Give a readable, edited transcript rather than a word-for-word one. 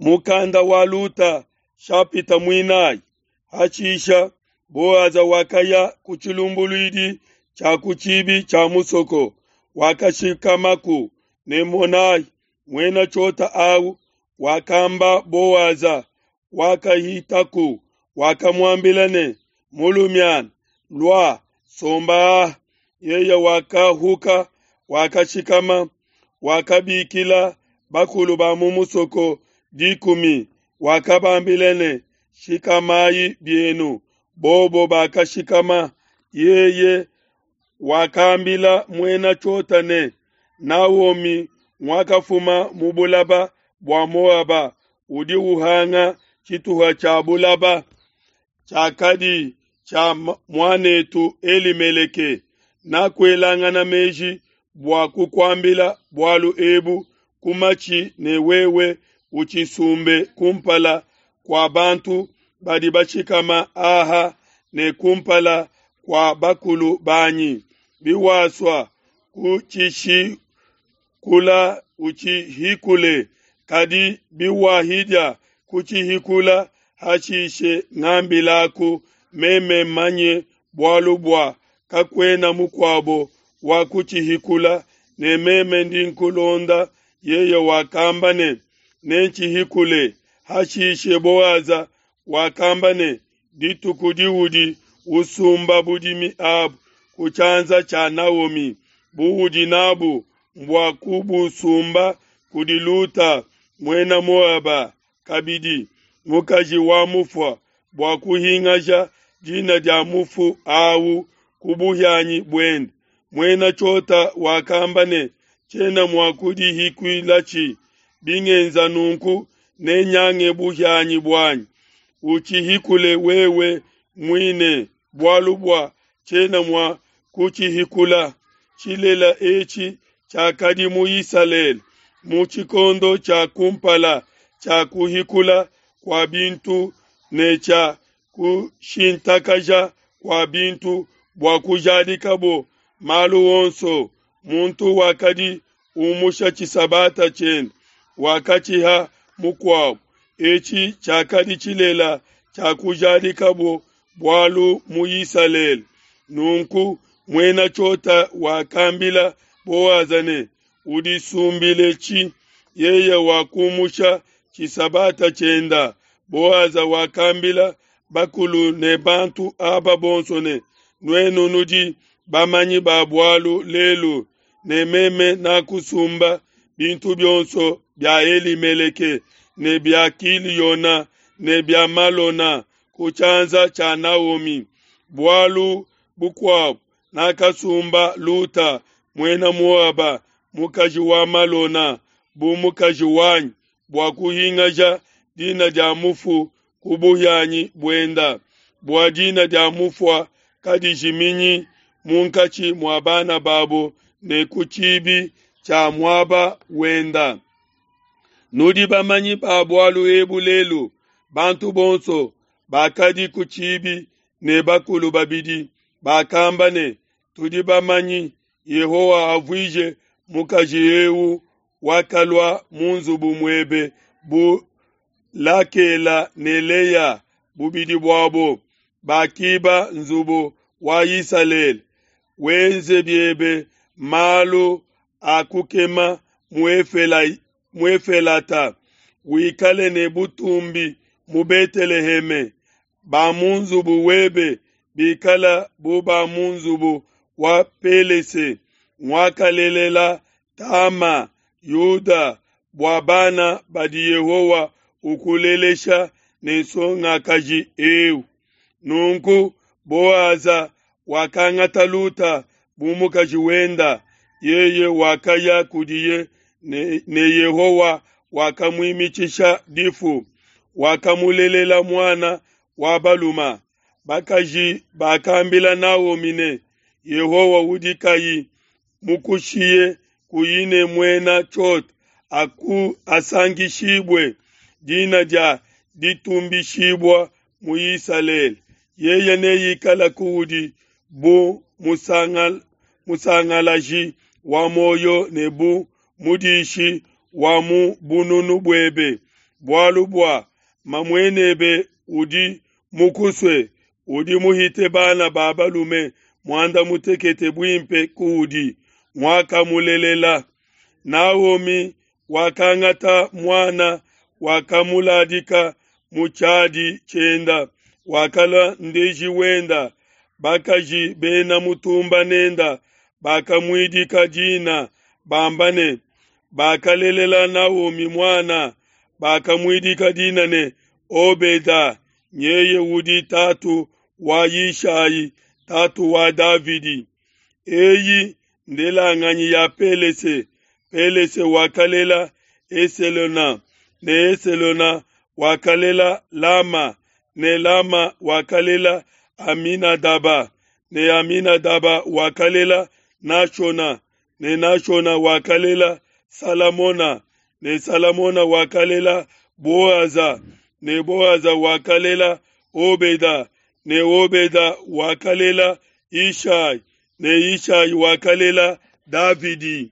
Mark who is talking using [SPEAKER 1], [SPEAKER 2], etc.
[SPEAKER 1] Mukanda wa Luta shapita muinayi. Hashisha Boaza wakaya ku tshilumbuluidi tshia ku tshibi tshia musoko, wakashikamaku, ne monai, muena tshiota au wakamba Boaza wakahitaku, wakamuambila ne, Mulumiana, lua, somba aha. Yeye wakahuka, wakashikama, wakabikila bakulu ba mu musoko dikumi, wakabambila ne, Shikamayi bienu. Bobo bakashikama. Yeye wakambila muena tshiota ne, Naomi nguakafuma mu bulaba bua Moaba, udi uhanga tshituha tshia bulaba tshiakadi tshia muan'etu Elimeleke. Nakuelangana meji bua kukuambila bualu ebu ku matshi ne wewe utshisumbe kumpala kua bantu badi bashikama aha ne kumpala kua bakulu banyi. Biwasua kutshishikula utshihikule, kadi biwahidia kutshihikula, hashishe ngambilaku, meme mmanye bualu bua kakuena mukuabo wa kutshihikula, ne meme ndi nkulonda. Yeye wakamba ne, Nentshihikule. Hashishe Boaza wakamba ne, Dituku diudi usumba budimi abu ku tshianza tshia Naomi, buudi n'abu mbua kubusumba kudi Luta, Muena Moaba, kabidi mukaji wa mufua, bua kuhingaja dina dia mufu au ku buhianyi buende. Muena tshiota wakamba ne, Tshiena mua kudihikuilatshi, bingenza nunku nenyange buhianyi buanyi. Utshihikule wewe muine, bualu bua tshiena mua kutshihikula. Tshilela etshi tshiakadi mu Isalele mu tshikondo tshia kumpala tshia kuhikula kua bintu ne tshia kushintakaja kua bintu bua kujadikabo malu onso. Muntu wakadi umusha tshisabata tshiende, wakatshiha mukuabo. Etshi tshiakadi tshilela tshia kujadikabo bualu mu Isalele. Nunku muena tshiota wakambila Boaza ne, Udisumbiletshi. Yeye wakumusha tshisabata tshienda. Boaza wakambila bakulu ne bantu aba bonso ne, Nuenu nudi bamanyi ba bualu lelu ne meme nakusumba bintu bionso bia Elimeleke ne bia Kiliona ne bia Malona ku tshianza tshia Naomi. Bualu bukuabo, nakasumba Luta, Muena Moaba, mukaji wa Malona, bu mukaji wanyi, bua kuhingaja dina dia mufu ku buhianyi buenda, bua dina dia mufua kadijiminyi munkatshi mua bana babo ne ku tshibi tshia muaba wenda. Nudi bamanyi ba bualu ebu lelu. Bantu bonso bakadi ku tshibi ne bakulu babidi bakamba ne, Tudi bamanyi, Yehowa avuije mukaji eu wakalua mu nzubu muebe bu Lakela ne Lea, bubidi buabo bakiba nzubu wa Isalele. Wenze biebe malu a kukema mu Efelata, wikale ne butumbi mu Beteleheme. Ba mu nzubu webe bikala bu ba mu nzubu wa Pelese, nguakalelela Tama, Yuda, bua bana badi Yehowa ukulelesha ne nsongakaji eu. Nunku Boaza wakangata Luta bu mukaji wenda, yeye wakaya kudiye ne, ne Yehowa wakamuimitshisha difu, wakamulelela muana wa baluma. Bakaji bakambila Naomi ne, Yehowa udi kayi mukushiye kuyi ne muena tshiota, aku asankishibue, dina dia ditumbishibua mu Isalele. Yeye neikale kuudi bu musangalaji wa muoyo ne bu mudishi wa mu bununu buebe. bualu bua mamuenebe udi mukusue, udi muhite bana ba balume muanda mutekete buimpe kuudi, nguakamulelela. Naomi wakangata muana, wakamuladika mu tshiadi tshienda, wakalua ndeji wenda. Bakaji bena mutumba nenda bakamuidika dina, bamba ne, Bakalelela Naomi muana, bakamuidika dina ne, Obeda, nyeye udi tatu wa Yishai, tatu wa Davidi. Eyi ndelanganyi ya Pelese. Pelese wakalela Eselona, ne Eselona wakalela Lama, ne Lama wakalela Aminadaba, ne Aminadaba wakalela Nashona, ne Nashona wakalela Salamona, ne Salamona wakalela Boaza, ne Boaza wakalela Obeda, ne Obeda wakalela Ishai, ne Ishai wakalela Davidi.